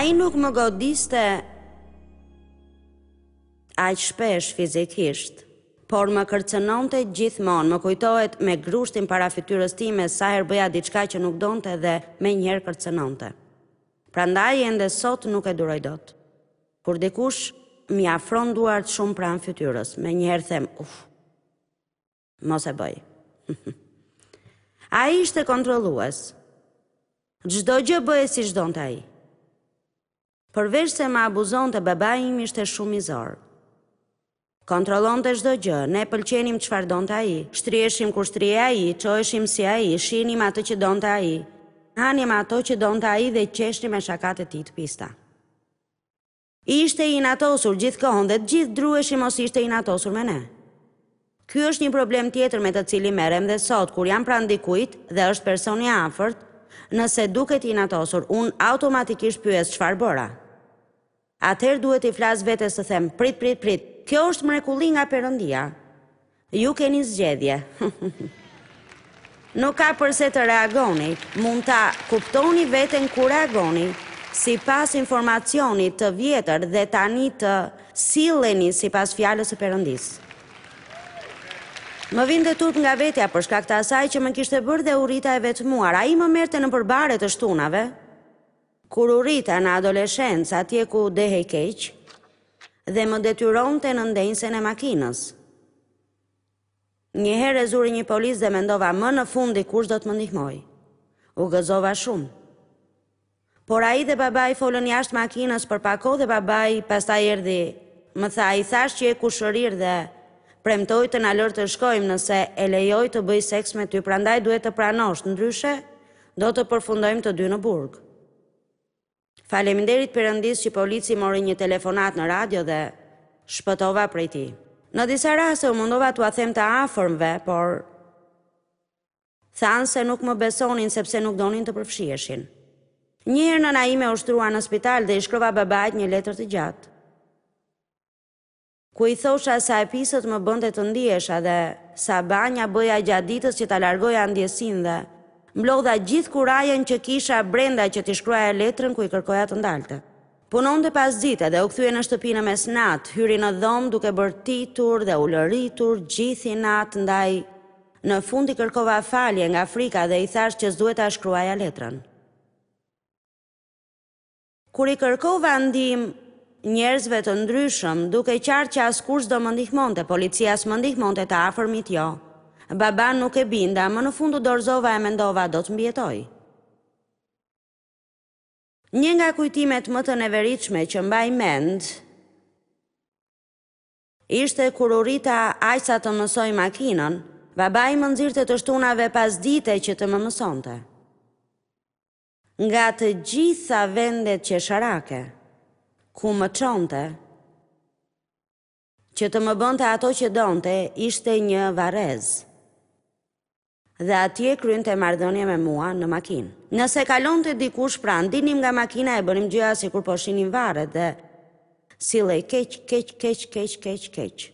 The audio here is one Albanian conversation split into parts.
Ai nuk më godiste aq shpesh fizikisht, por më kërcënonte gjithmonë, më kujtohet me grushtin para fytyrës time sa herë bëja diçka që nuk donte dhe menjëherë kërcënonte. Prandaj ende sot nuk e duroj dot. Kur dikush m'i afron duart shumë pranë fytyrës, menjëherë them, uf, mos e bëj. Ai ishte kontrollues. Çdo gjë bëhej siç donte ai. Përveç se më abuzonte, babai im ishte shumë mizor. Kontrollonte çdo gjë, ne pëlqenim çfarë donte ai, shtriheshim kur shtrihej ai, çoheshim si ai, shihnim atë që donte ai, hanim ato që donte ai dhe qeshnim me shakatë e tij të pista. Ishte i inatosur gjithë kohën dhe të gjithë druheshim mos ishte i inatosur me ne. Ky është një problem tjetër me të cilin merrem dhe sot, kur jam pranë dikujt dhe është person i afërt, nëse duket i inatosur, unë automatikisht pyes çfarë bëra. Atëherë duhet t'i flas vetes të them, prit, prit, prit, kjo është mrekulli nga Perëndia. Ju keni zgjedhje. Nuk ka përse të reagoni, mund ta kuptoni veten kur reagoni, sipas informacionit të vjetër dhe tani të silleni sipas fjalës së Perëndisë. Më vinte turp nga vetja për shkak të asaj që më kishte bërë dhe u rrita e vetmuar. Ai më merrte nëpër bare të shtunave, kur u rrita në adoleshencë atje ku dehej keq, dhe më detyronte në ndenjësen e makinës. Një herë e zuri një polic dhe mendova më në fund dikush do të më ndihmojë. U gëzova shumë. Por ai dhe babai folën jashtë makinës për pak kohë dhe babai pastaj erdhi. Më tha, i thashë që je kushërirë dhe premtoi të na lërë të shkojmë nëse e lejoj të bëjë seks me ty, prandaj duhet të pranosh, ndryshe do të përfundojmë të dy në burg. Faleminderit Perëndisë që polici mori një telefonatë në radio dhe shpëtova prej tij. Në disa raste u mundova t'ua them të afërmve, por thanë se nuk më besonin sepse nuk donin të përfshiheshin. Një herë nëna ime u shtrua në spital dhe i shkrova babait një letër të gjatë. Ku i thosha sa e pisët më bënte të ndihesha dhe sa banja bëja gjatë ditës që ta largoja ndjesinë dhe mblodha gjithë kurajën që kisha brenda që t'i shkruaja letrën ku i kërkoja të ndalte. Punonte pasdite dhe u kthye në shtëpi në mesnatë, hyri në dhomë duke bërtitur dhe ulëritur gjithë inat ndaj në fund i kërkova falje nga frika dhe i thashë që s'duhet ta shkruaja letrën. Kur i kërkova ndihmë njerëzve të ndryshëm, dukej qartë që askush s'do më ndihmonte, policia s'më ndihmonte, të afërmit jo. Babanë nuk e binda, më në fund u dorëzova e mendova do të mbijetoj. Një nga kujtimet më të neveritshme që mbaj mend ishte kur u rrita aq sa të mësoj makinën, babai më nxirrte të shtunave pasdite që të më mësonte. Nga të gjitha vendet qesharake, ku më çonte, që të më bënte ato që donte, ishte një varrezë. Dhe atje kryente marrëdhënie me mua në makinë. Nëse kalonte dikush pranë, dilnim nga makina e bënim gjoja sikur po shihnim varret dhe sillej keq, keq, keq, keq, keq, keq.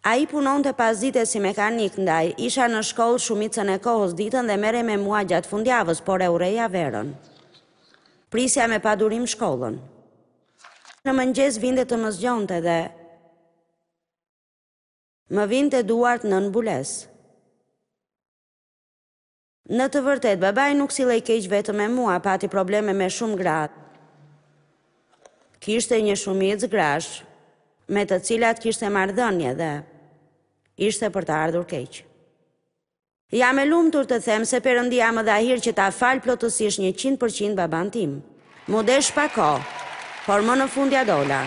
Ai punonte pasdite si mekanik, ndaj isha në shkollë shumicën e kohës ditën dhe merrej me mua gjatë fundjavës, por e urreja verën. Prisja me padurim shkollën. Në mëngjes vinte të më zgjonte dhe më vinte duart nën mbulesë. Në të vërtetë, babai nuk sillej keq vetëm me mua, pati probleme me shumë gra. Kishte një shumicë grash me të cilat kishte marrëdhënie dhe ishte për të ardhur keq. Jam e lumtur të them se Perëndia më dha hir që ta fal plotësisht 100% babanë tim. M'u desh pak kohë, por më në fund ia dola.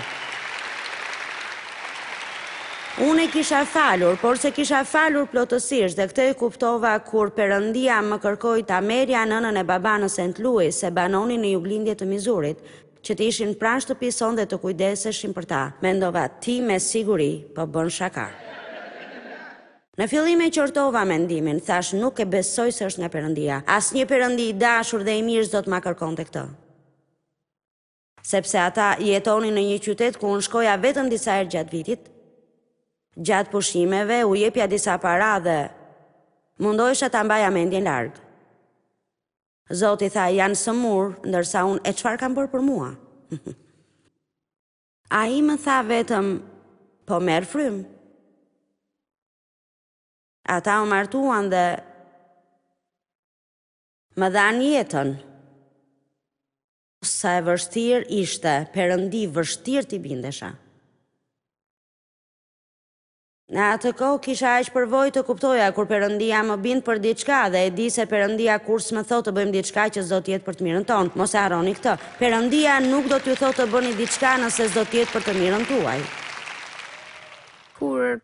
Unë e kisha falur, por s'e kisha falur plotësisht dhe këtë e kuptova kur Perëndia më kërkoi ta merrja nënën e babanë në St. Louis, se banonin në juglindje të Mizurit, që të ishin pranë shtëpisë sonë dhe të kujdeseshim për ta. Mendova, ti me siguri po bën shaka. Në fillim e qortova mendimin, thashë nuk e besoj se është nga Perëndia. Asnjë Perëndi i dashur dhe i mirë s'do të ma kërkonte këtë. Sepse ata jetonin në një qytet ku unë shkoja vetëm disa herë gjatë vitit. Gjatë pushimeve u jepja disa para dhe mundohesha ta mbaja mendjen larg. Zoti tha, janë sëmurë, ndërsa unë, e çfarë kanë bërë për mua? Ai më tha vetëm, po merr frymë. Ata u martuan dhe më dhanë jetën. Sa e vështirë ishte, Perëndi, vështirë t'i bindesha. Në atë kohë kisha aq përvojë të kuptoja kur Perëndia më bind për diçka dhe e di se Perëndia kurrë s'më thotë të bëjmë diçka që s'do të jetë për të mirën tonë. Mos e harroni këtë. Perëndia nuk do t'ju thotë të bëni diçka nëse s'do të jetë për të mirën tuaj. Kur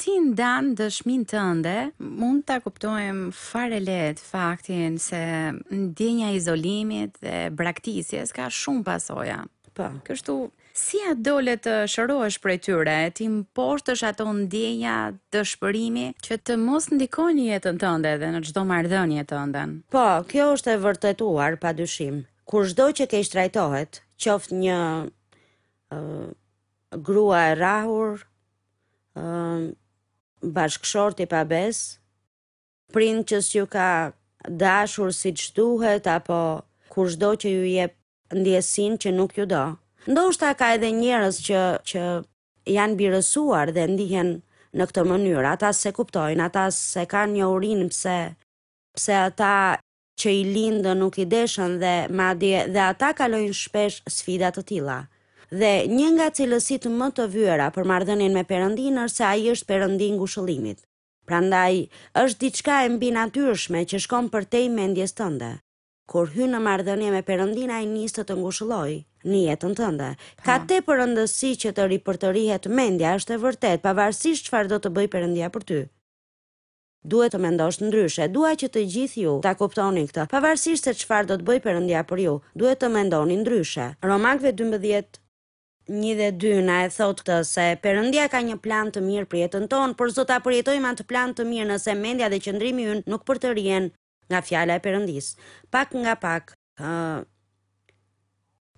ti ndan dëshminë tënde, mund ta kuptojmë fare lehtë faktin se ndjenja e izolimit dhe braktisjes ka shumë pasoja. Po. Kështu, si ia dole të shërohesh prej tyre, t'i mposhtësh ato ndjenja dëshpërimi që të mos ndikojnë në jetën tënde dhe në çdo marrëdhënie tënden? Po, kjo është e vërtetuar padyshim. Kushdo që keqtrajtohet, qoftë një uh, grua e rrahur, uh, bashkëshort i pabesë, prind që s'ju ka dashur siç duhet apo kushdo që ju jep ndjesinë që nuk ju do. Ndoshta ka edhe njerëz që që janë birësuar dhe ndihen në këtë mënyrë. Ata s'e kuptojnë, ata s'e kanë njohurinë pse pse ata që i lindën nuk i deshën dhe madje dhe ata kalojnë shpesh sfida të tilla. Dhe një nga cilësitë më të vyera për marrëdhënien me Perëndinë është se ai është Perëndi i ngushëllimit. Prandaj, është diçka e mbinatyrshme që shkon përtej mendjes tënde. Kur hyn në marrëdhënie me Perëndinë ai nis të të ngushëllojë në jetën tënde. Ka tepër rëndësi që të ripërtërihet mendja, është e vërtetë, pavarësisht çfarë do të bëjë Perëndia për ty. Duhet të mendosh ndryshe. Dua që të gjithë ju ta kuptoni këtë. Pavarësisht se çfarë do të bëjë Perëndia për ju, duhet të mendoni ndryshe. Romakëve 12, 1 dhe 2 na e thotë këtë se Perëndia ka një plan të mirë për jetën tonë, por s'do ta përjetojmë atë plan të mirë nëse mendja dhe qëndrimi ynë nuk përtërihen nga fjala e Perëndisë. Pak nga pak, ë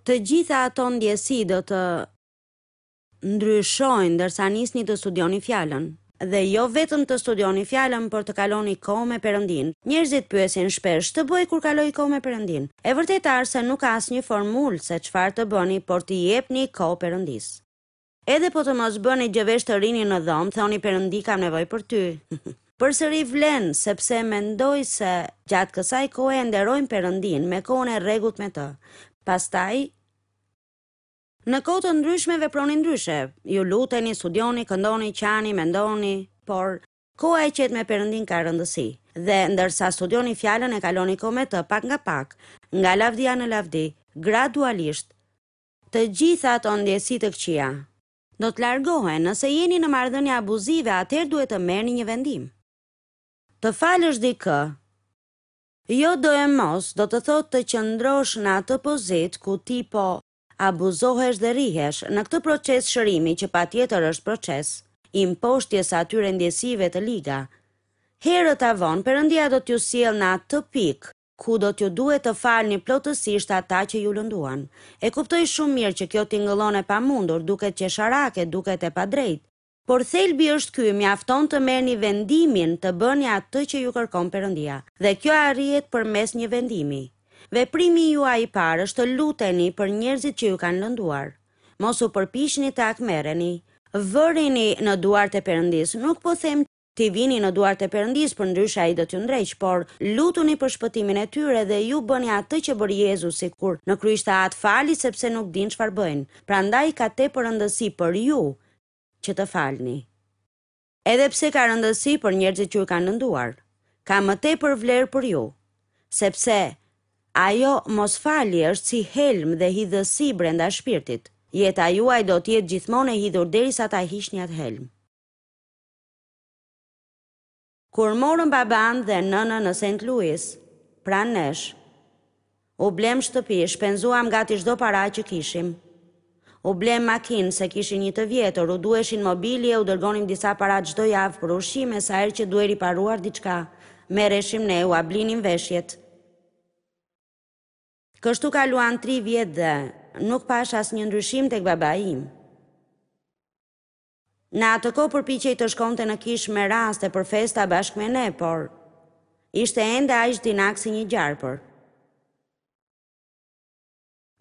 të gjitha ato ndjesi do të ndryshojnë ndërsa nisni të studioni fjalën. Dhe jo vetëm të studioni fjalën, por të kaloni kohë me Perëndinë. Njerëzit pyesin shpesh, ç'të bëj kur kaloj kohë me Perëndinë? E vërteta është se nuk ka asnjë formulë se çfarë të bëni, por t'i jepni kohë Perëndisë. Edhe po të mos bëni gjë veç të rrini në dhomë, thoni Perëndi kam nevojë për ty. Përsëri vlen, sepse mendoj se gjatë kësaj kohe e nderojmë Perëndinë me kohën e rregullt me të. Pastaj, në kohë të ndryshme veproni ndryshe. Ju luteni, studioni, këndoni, qani, mendoni, por koha e qetë me Perëndinë ka rëndësi. Dhe ndërsa studioni fjalën e kaloni kohë me të pak nga pak, nga lavdia në lavdi, gradualisht, Të gjitha ato ndjesi të këqija do të largohen. Nëse jeni në marrëdhënie abuzive, atëherë duhet të merrni një vendim. Të falësh dikë, jo doemos do të thotë të qëndrosh në atë pozitë ku ti po abuzohesh dhe rrihesh. Në këtë proces shërimi që patjetër është proces i mposhtjes së atyre ndjesive të liga. Herët a vonë, Perëndia do t'ju sjellë në atë pikë ku do t'ju duhet të falni plotësisht ata që ju lënduan. E kuptoj shumë mirë që kjo tingëllon e pamundur, duket qesharake, duket e padrejtë. Por thelbi është ky, mjafton të merrni vendimin të bëni atë që ju kërkon Perëndia. Dhe kjo arrihet përmes një vendimi. Veprimi juaj i parë është të luteni për njerëzit që ju kanë lënduar. Mos u përpiqni të hakmerreni. Vërini në duart e Perëndisë. Nuk po them T'i vini në duart e Perëndisë, përndryshe ai do t'ju ndreqë, por lutuni për shpëtimin e tyre dhe ju bëni atë që bëri Jezusi kur në kryq tha Atë fali sepse nuk dinë çfarë bëjnë. Prandaj ka tepër rëndësi për ju që të falni. Edhe pse ka rëndësi për njerëzit që ju kanë lënduar, ka më tepër vlerë për ju, sepse ajo mosfalje është si helm dhe hidhësi brenda shpirtit. Jeta juaj do të jetë gjithmonë e hidhur derisa ta hiqni atë helm. Kur morëm babanë dhe nënën në Saint Louis, pranë nesh, u blemë shtëpi, shpenzuam gati çdo para që kishim. U blemë makinë, se kishin një të vjetër, u duheshin mobilje, u dërgonim disa para çdo javë për ushqime, sa herë që duhej riparuar diçka, merreshim ne, ua blinim veshjet. Kështu kaluan tri vjet dhe nuk pashë asnjë ndryshim tek babai im. Në atë kohë përpiqej të shkonte në kishë me raste për festa bashkë me ne, por ishte ende aq dinak si një gjarpër.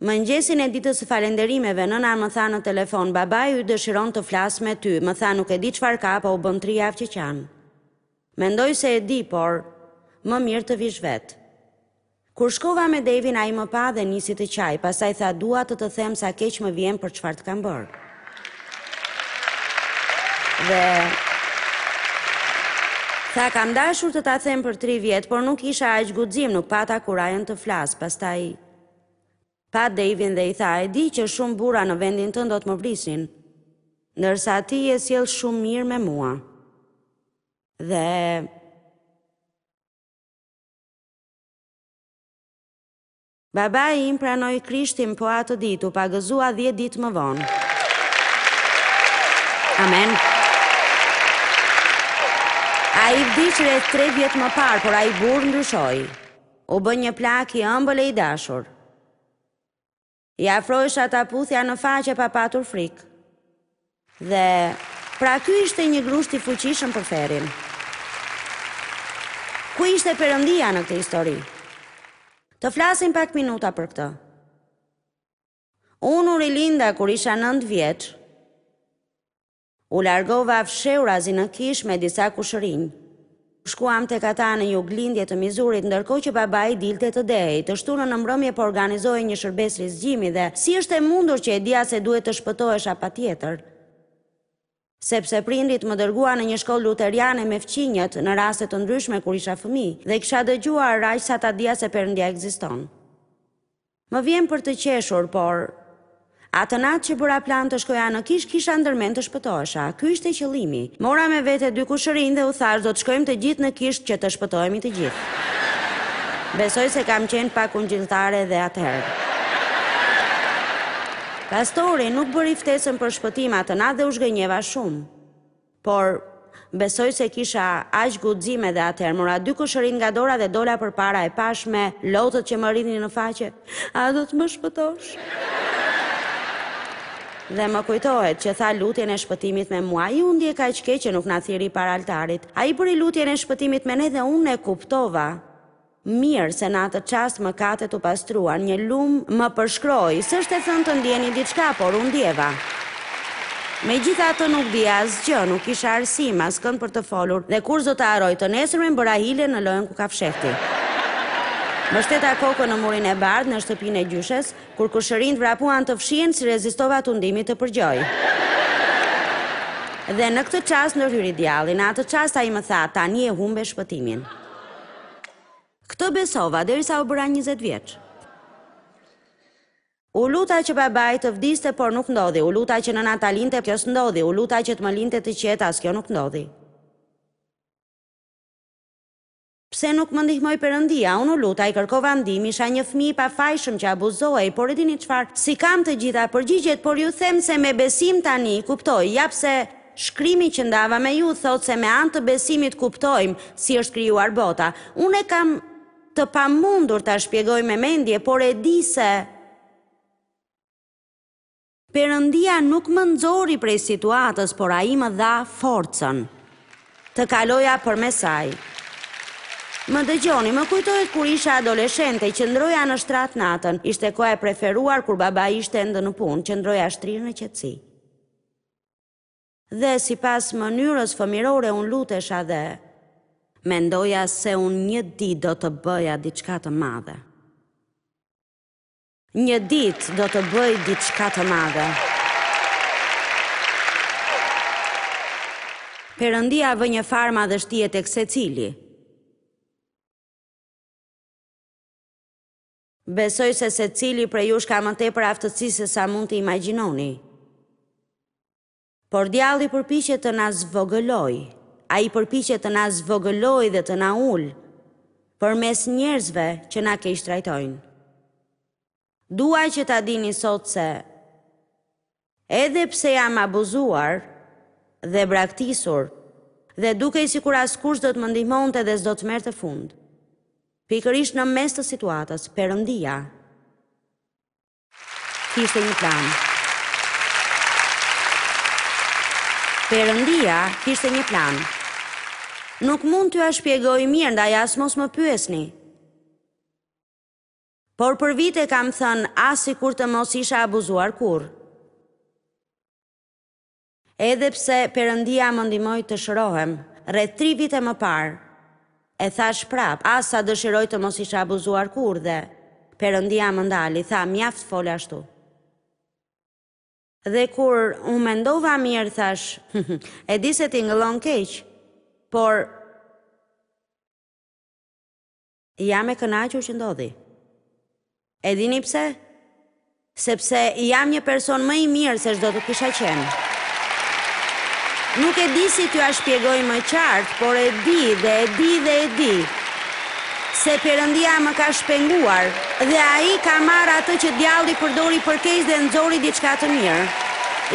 Mëngjesin e ditës së falenderimeve, nëna më tha në telefon, babai yt dëshiron të flasë me ty, më tha nuk e di çfarë ka, po u bënë tri javë që qan. Mendoj se e di, por më mirë të vish vetë. Kur shkova me Devin, ai më pa dhe nisi të qajë, pastaj tha dua të të them sa keq më vjen për çfarë të kam bërë. Dhe tha kam dashur të ta them për tri vjet, por nuk kisha aq guxim, nuk pata kurajën të flas, pastaj Pa Davin dhe i tha, e di që shumë burra në vendin tënd do të më vrisnin, ndërsa ti je sjellë shumë mirë me mua. Dhe Babai im pranoi Krishtin po atë ditë, u pagëzua 10 ditë më vonë. Amen. Ai vdiq rreth 3 vjet më parë, por ai burrë ndryshoi. U bë një plak i ëmbël e i dashur. I afrohesha ta puthja në faqe pa patur frikë. Dhe, pra ky ishte një grusht i fuqishëm për ferrin. Ku ishte Perëndia në këtë histori? Të flasim pak minuta për këtë. Unë u rilinda kur isha 9 vjeç. U largova fshehurazi në kishë me disa kushërinj. Shkuam tek ata në juglindje të Mizurit, ndërkohë që babai dilte të dehej. Të shtunën në mbrëmje po organizohej një shërbesë rizgjimi dhe si është e mundur që e dija se duhet të shpëtohesha patjetër? Sepse prindërit më dërguan në një shkollë luteriane me fqinjët në raste të ndryshme kur isha fëmijë dhe kisha dëgjuar aq sa ta dija se Perëndia ekziston. Më vjen për të qeshur, por atë natë që bëra plan të shkoja në kishë, kisha ndërmend të shpëtohesha. Ky ishte qëllimi. Mora me vete dy kushërinj dhe u thashë do të shkojmë të gjithë në kishë që të shpëtohemi të gjithë. Besoj se kam qenë pak ungjilltare edhe atëherë. Pastori nuk bëri ftesën për shpëtim atë natë dhe u zhgënjeva shumë. Por, besoj se kisha aq guxim edhe atëherë. Mora dy kushërinjtë nga dora dhe dola përpara e pashë me lotët që më rridhnin në faqe. A do të më shpëtosh? Dhe më kujtohet që tha lutjen e shpëtimit me mua. Ai u ndje kaq keq që nuk na thirri para altarit. Ai bëri lutjen e shpëtimit me ne dhe unë e kuptova. Mirë se në atë çast mëkatet u pastruan, një lumë më përshkroi, s'është e thënë të ndjeni diçka, por u ndjeva. Megjithatë nuk dija asgjë, nuk kisha arsim, askënd për të folur dhe kurrë s'do ta harroj, të nesërmen bëra hile në lojën kukafshehti. Mbështeta kokën në murin e bardhë në shtëpinë e gjyshes, kur kushërinjtë vrapuan të fshihen, s'i rezistova tundimit të përgjoj. Dhe në këtë çast ndërhyri djalli, në atë çast ai më tha, tani e humbe shpëtimin. Këtë besova derisa u bëra 20 vjeç. U luta që babai të vdiste, por nuk ndodhi. U luta që nëna ta linte, kjo s'ndodhi. U luta që të më linte të qetë, as kjo nuk ndodhi. Pse nuk më ndihmoi Perëndia? Unë u luta, i kërkova ndihmë, isha një fëmijë i pafajshëm që abuzohej, por e dini çfarë? S'i kam të gjitha përgjigjet, por ju them se me besim tani kuptoj, ja pse Shkrimi që ndava me ju thotë se me anë të besimit kuptojmë si është krijuar bota. Unë e kam të pamundur ta shpjegoj me mendje, por e di se Perëndia nuk më nxori prej situatës, por ai më dha forcën të kaloja përmes saj. Më dëgjoni, më kujtohet kur isha adoleshente, qëndroja në shtrat natën. Ishte koha e preferuar kur babai ishte ende në punë, qëndroja shtrirë në qetësi. Dhe sipas mënyrës fëmirore unë lutesha dhe mendoja se unë një ditë do të bëja diçka të madhe. Një ditë do të bëj diçka të madhe. Perëndia vë një farë madhështie tek secili. Besoj se secili prej jush ka më tepër aftësi se sa mund të imagjinoni. Por djalli përpiqet të na zvogëlojë. Ai përpiqet të na zvogëlojë dhe të na ulë përmes njerëzve që na keqtrajtojnë. Dua që ta dini sot se edhe pse jam abuzuar dhe braktisur dhe dukej sikur askush s'do të më ndihmonte dhe s'do të merrte fund. Pikërisht në mes të situatës, Perëndia Kishte një plan. Perëndia kishte një plan. Nuk mund t'jua shpjegoj mirë, ndaj as mos më pyesni. Por për vite kam thënë ah sikur të mos isha abuzuar kurrë. Edhe pse Perëndia më ndihmoi të shërohem, rreth tri vite më parë, e thashë prapë, ah sa dëshiroj të mos isha abuzuar kurrë dhe Perëndia më ndali, tha mjaft fole ashtu. Dhe kur u mendova mirë thashë, e di se tingëllon keq, por Jam e kënaqur që ndodhi. E dini pse? Sepse jam një person më i mirë se ç'do të kisha qenë. Nuk e di si t'jua shpjegoj më qartë, por e di dhe e di dhe e di se Perëndia më ka shpenguar dhe ai ka marrë atë që djalli përdori për keq dhe nxori diçka të mirë.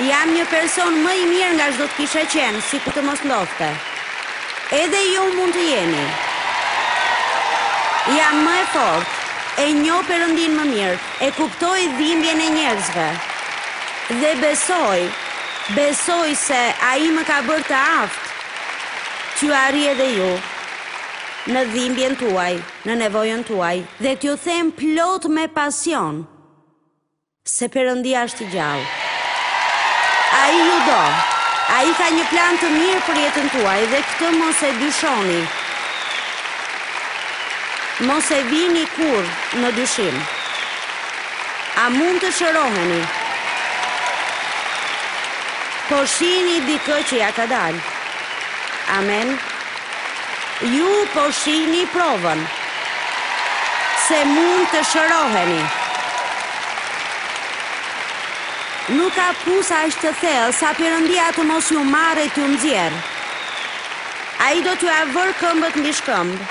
Jam një person më i mirë nga ç'do të kisha qenë, sikur të mos ndodhte. Edhe ju mund të jeni. Jam më e fortë, e njoh Perëndinë më mirë, e kuptoj dhimbjen e njerëzve. Dhe besoj, besoj se Ai më ka bërë të aftë t'ju arrij edhe ju në dhimbjen tuaj, në nevojën tuaj, dhe t'ju them plot me pasion. Se Perëndia është i gjallë. Ai ju do. Ai ka një plan të mirë për jetën tuaj dhe këtë mos e dyshoni. Mos e vini kurrë në dyshim. A mund të shëroheni? Po shihni dikë që ia ka dalë. Amen. Ju po shihni provën se mund të shëroheni. Nuk ka pus aq të thellë sa Perëndia të mos ju marrë e t'ju nxjerrë. Ai do t'jua vërë këmbët mbi shkëmb.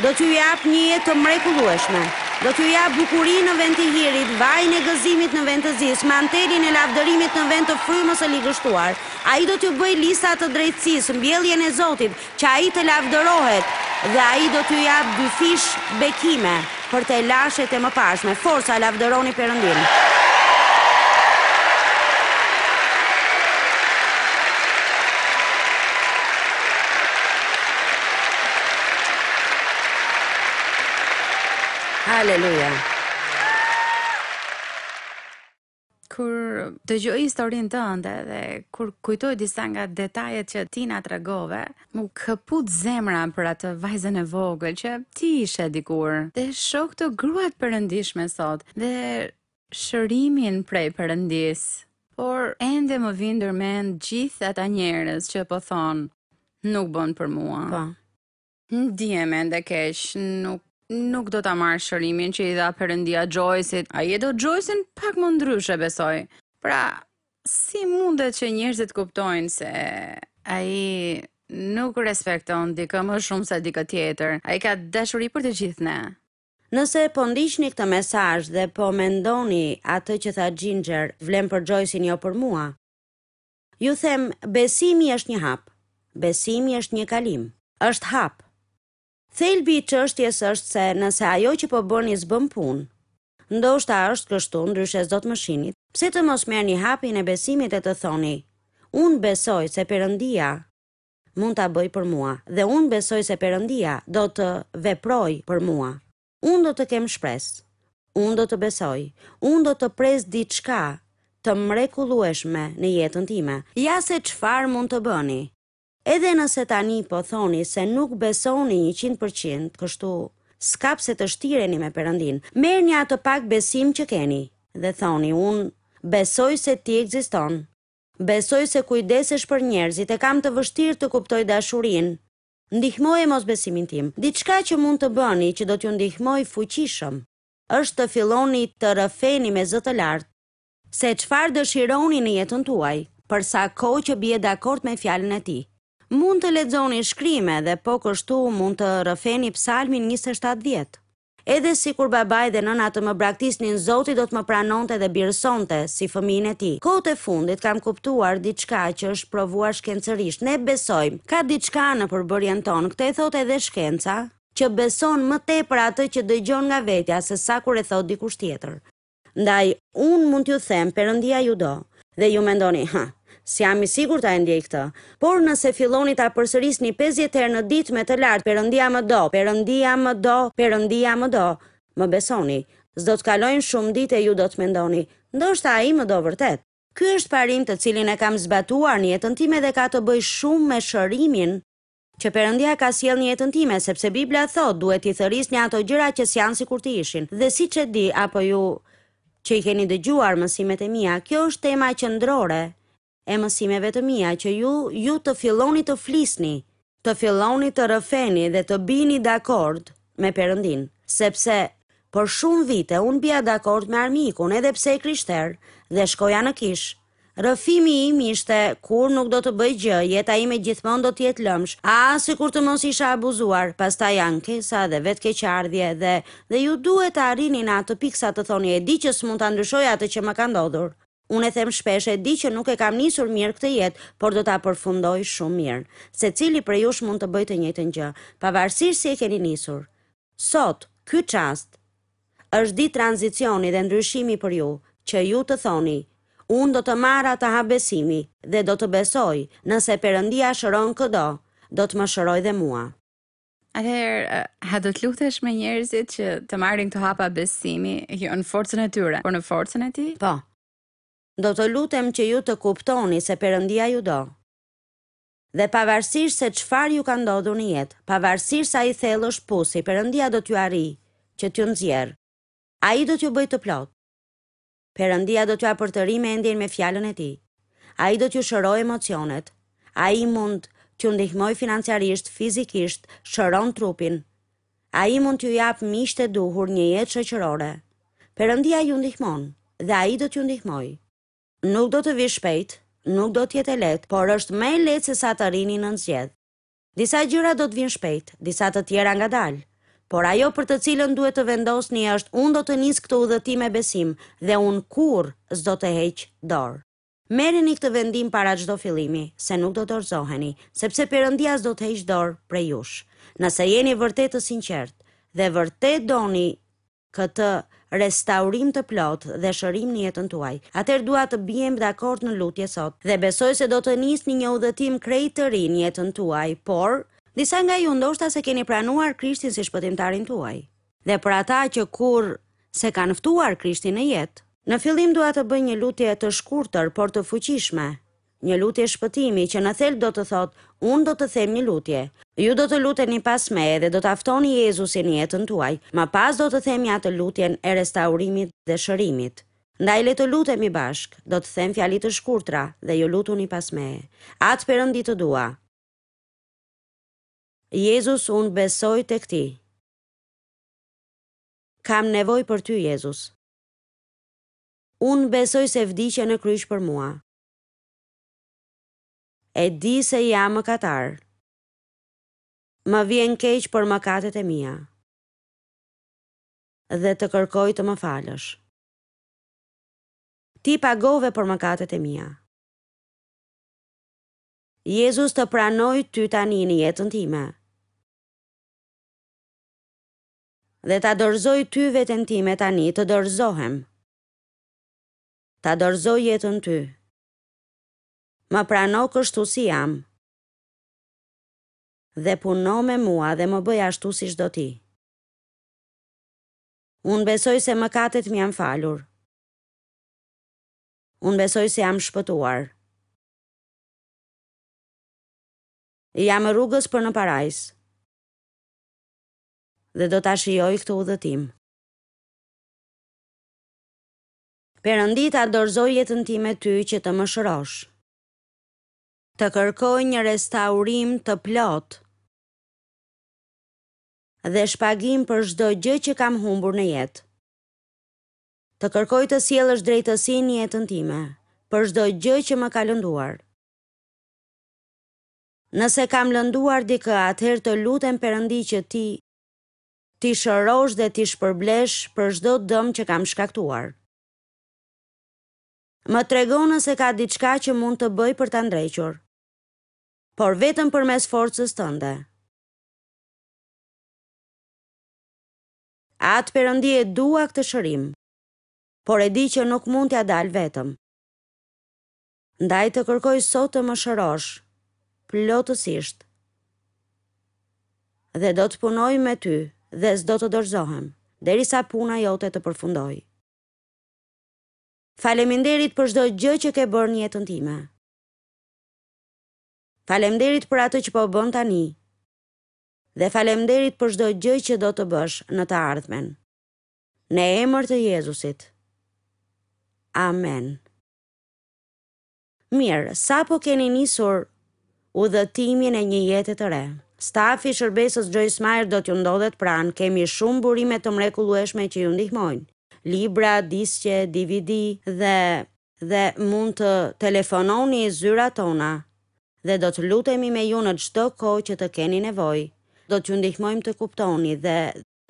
Do t'ju japë një jetë të mrekullueshme. Do t'ju japë bukuri në vend të hirit, vajin e gëzimit në vend të zisë, mantelin e lavdërimit në vend të frymës së ligështuar. Ai do t'ju bëjë lisa të drejtësisë, mbjelljen e Zotit, që Ai të lavdërohet, dhe Ai do t'ju japë dyfish bekime për telashet e mëparshme. Forca, lavdëroni Perëndinë! Haleluja! Kur dëgjoj historinë tënde dhe kur kujtoj disa nga detajet që ti na tregove, m'u këput zemra për atë vajzën e vogël që ti ishe dikur. Dhe shoh këtë grua të perëndishme sot dhe shërimin prej Perëndisë. Por ende më vijnë ndërmend gjithë ata njerëz që po thonë, nuk bën për mua. Po. Ndihem ende keq, nuk nuk do ta marr shërimin që i dha Perëndia Joyce-it. Ai e do Joyce-in pak më ndryshe besoj. Pra, si mundet që njerëzit kuptojnë se ai nuk respekton dikë më shumë se dikë tjetër. Ai ka dashuri për të gjithë ne. Nëse po ndiqni këtë mesazh dhe po mendoni atë që tha Ginger, vlen për Joyce-in jo për mua. Ju them, besimi është një hap. Besimi është një kalim. Është hap. Thelbi i çështjes është se nëse ajo që po bëni s'bën punë, ndoshta është kështu, ndryshe s'do të më shinit, pse të mos merrni hapin e besimit e të thoni, Unë besoj se Perëndia mund ta bëjë për mua dhe unë besoj se Perëndia do të veprojë për mua. Unë do të kem shpresë. Unë do të besoj. Unë do të pres diçka të mrekullueshme në jetën time. Ja se çfarë mund të bëni. Edhe nëse tani po thoni se nuk besoni 100%, kështu s'ka pse të shtireni me Perëndinë. Merrni atë pak besim që keni dhe thoni unë besoj se ti ekziston. Besoj se kujdesesh për njerëzit, e kam të vështirë të kuptoj dashurinë. Ndihmoje mosbesimin tim. Diçka që mund të bëni që do t'ju ndihmojë fuqishëm, është të filloni të rrëfeni me zë të lartë se çfarë dëshironi në jetën tuaj, për sa kohë që bie dakord me fjalën e tij. Mund të lexoni shkrime dhe po kështu mund të rrëfeni Psalmin 27 dhjetë. Edhe sikur babai dhe nëna të më braktisnin, Zoti do të më pranonte dhe birësonte si fëmijën e tij. Kohët e fundit kam kuptuar diçka që është provuar shkencërisht. Ne besojmë, ka diçka në përbërjen tonë, këtë e thotë edhe shkenca, që beson më tepër atë që dëgjon nga vetja se sa kur e thotë dikush tjetër. Ndaj, unë mund t'ju them, Perëndia ju do. Dhe ju mendoni, hë, s'jam i sigurt a e ndjej këtë. Por nëse filloni ta përsërisni 50 herë në ditë me të lartë, Perëndia më do, Perëndia më do, Perëndia më do, më besoni, S'do të kalojnë shumë ditë e ju do të mendoni, ndoshta ai më do vërtet. Ky është parim të cilin e kam zbatuar në jetën time dhe ka të bëjë shumë me shërimin që Perëndia ka sjellë në jetën time, sepse Bibla thotë, duhet t'i thërrisni ato gjëra që s'janë sikur të ishin. Dhe siç e di apo ju që i keni dëgjuar mësimet e mia, kjo është tema qendrore e mësimeve të mia që ju ju të filloni të flisni, të filloni të rrëfeni dhe të bini dakord me Perëndinë, sepse për shumë vite unë bija dakord me armikun edhe pse e krishterë dhe shkoja në kishë. Rrëfimi im ishte kurrë nuk do të bëj gjë, jeta ime gjithmonë do të jetë lëmsh, ah sikur të mos isha abuzuar, pastaj ankesa dhe vetëkeqardhje dhe dhe ju duhet të arrini në atë pikë sa të thoni e di që s'mund ta ndryshoj atë që më ka ndodhur. Unë e them shpesh, e di që nuk e kam nisur mirë këtë jetë, por do ta përfundoj shumë mirë. Secili prej jush mund të bëjë të njëjtën gjë, pavarësisht si e keni nisur. Sot, ky çast, është ditë tranzicioni dhe ndryshimi për ju, që ju të thoni, Unë do të marr atë hap besimi dhe do të besoj, nëse Perëndia shëron këdo, do të më shërojë dhe mua. Atëherë, a do të lutesh me njerëzit që të marrin këto hapa besimi, jo në forcën e tyre, por në forcën e tij? Po. Do të lutem që ju të kuptoni se Perëndia ju do. Dhe pavarësisht se çfarë ju ka ndodhur në jetë, pavarësisht sa i thellë është pusi, Perëndia do t'ju arrijë, që t'ju nxjerrë. Ai do t'ju bëjë të plotë. Perëndia do t'jua përtërijë mendjen me fjalën e tij. Ai do t'ju shërojë emocionet. Ai mund t'ju ndihmojë financiarisht, fizikisht, shëron trupin. Ai mund t'ju japë miqtë e duhur, një jetë shoqërore. Perëndia ju ndihmon dhe ai do t'ju ndihmojë. Nuk do të vijë shpejt, nuk do të jetë e lehtë, por është më e lehtë sesa të rrini nën zgjedh. Disa gjëra do të vijnë shpejt, disa të tjera ngadalë. Por ajo për të cilën duhet të vendosni është unë do të nis këtë udhëtim me besim dhe unë kurrë s'do të heq dorë. Merreni këtë vendim para çdo fillimi, se nuk do dorëzoheni, sepse Perëndia s'do të heqë dorë prej jush. Nëse jeni vërtet të sinqertë dhe vërtet doni këtë restaurim të plotë dhe shërim në jetën tuaj. Atëherë dua të biem dakord në lutje sot dhe besoj se do të nisni një udhëtim krejt të ri në jetën tuaj, por disa nga ju ndoshta s'e keni pranuar Krishtin si shpëtimtarin tuaj. Dhe për ata që kurrë s'e kanë ftuar Krishtin në jetë, në fillim dua të bëj një lutje të shkurtër, por të fuqishme, Një lutje shpëtimi që në thelb do të thotë, unë do të them një lutje. Ju do të luteni pas meje dhe do ta ftoni Jezusin në jetën tuaj. Më pas do të themi atë lutjen e restaurimit dhe shërimit. Ndaj le të lutemi bashkë, do të them fjali të shkurtra dhe ju lutuni pas meje. Atë Perëndi të dua. Jezus unë besoj tek ti. Kam nevojë për ty Jezus. Unë besoj se vdiqe në kryq për mua. E di se jam mëkatar. Më vjen keq për mëkatet e mia. Dhe të kërkoj të më falësh. Ti pagove për mëkatet e mia. Jezus të pranoj ty tani në jetën time. Dhe ta dorëzoj ty veten time tani, të dorëzohem. Ta dorëzoj jetën ty. Më prano kështu si jam. Dhe puno me mua dhe më bëj ashtu siç do ti. Unë besoj se mëkatet më janë falur. Unë besoj se jam shpëtuar. Jam rrugës për në parajsë. Dhe do ta shijoj këtë udhëtim. Perëndi ta dorëzoj jetën time ty që të më shërosh. Të kërkoj një restaurim të plotë dhe shpagim për çdo gjë që kam humbur në jetë. Të kërkoj të sjellësh drejtësinë në jetën time, për çdo gjë që më ka lënduar. Nëse kam lënduar dikë, atëherë të lutem Perëndi që ti t'i shërosh dhe t'i shpërblesh për çdo dëm që kam shkaktuar. Më trego nëse ka diçka që mund të bëj për ta ndrequr. Por vetëm përmes forcës tënde. Atë Perëndi e dua këtë shërim, por e di që nuk mund t'ia dal vetëm. Ndaj të kërkoj sot të më shërosh plotësisht dhe do të punoj me ty dhe s'do të dorëzohem. derisa puna jote të përfundojë. Faleminderit për çdo gjë që ke bërë në jetën time. Faleminderit për atë që po bën tani. Dhe faleminderit për çdo gjë që do të bësh në të ardhmen. Në emër të Jezusit. Amen. Mirë, sapo keni nisur udhëtimin e një jete të re. Stafi i shërbesës Joyce Meyer do t'ju ndodhet pranë, kemi shumë burime të mrekullueshme që ju ndihmojnë. Libra, disqe, DVD dhe dhe mund të telefononi zyrat tona dhe do të lutemi me ju në çdo kohë që të keni nevojë. Do t'ju ndihmojmë të kuptoni dhe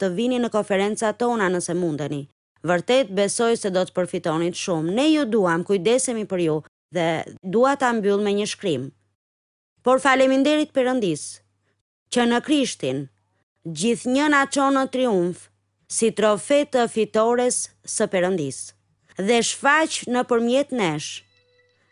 të vini në konferencat tona nëse mundeni. Vërtet besoj se do të përfitonit shumë. Ne ju duam, kujdesemi për ju dhe dua ta mbyll me një shkrim. Por faleminderit Perëndisë, që në Krishtin, gjithnjë na çon në triumf, si trofe të fitores së Perëndisë, dhe shfaq nëpërmjet nesh,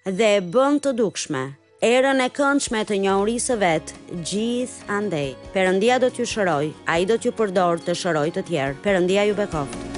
dhe e bën të dukshme erën e këndshme të njohurisë së vet gjithandej. Perëndia do t'ju shërojë, ai do t'ju përdorë të shërojë të tjerë. Perëndia ju bekoftë.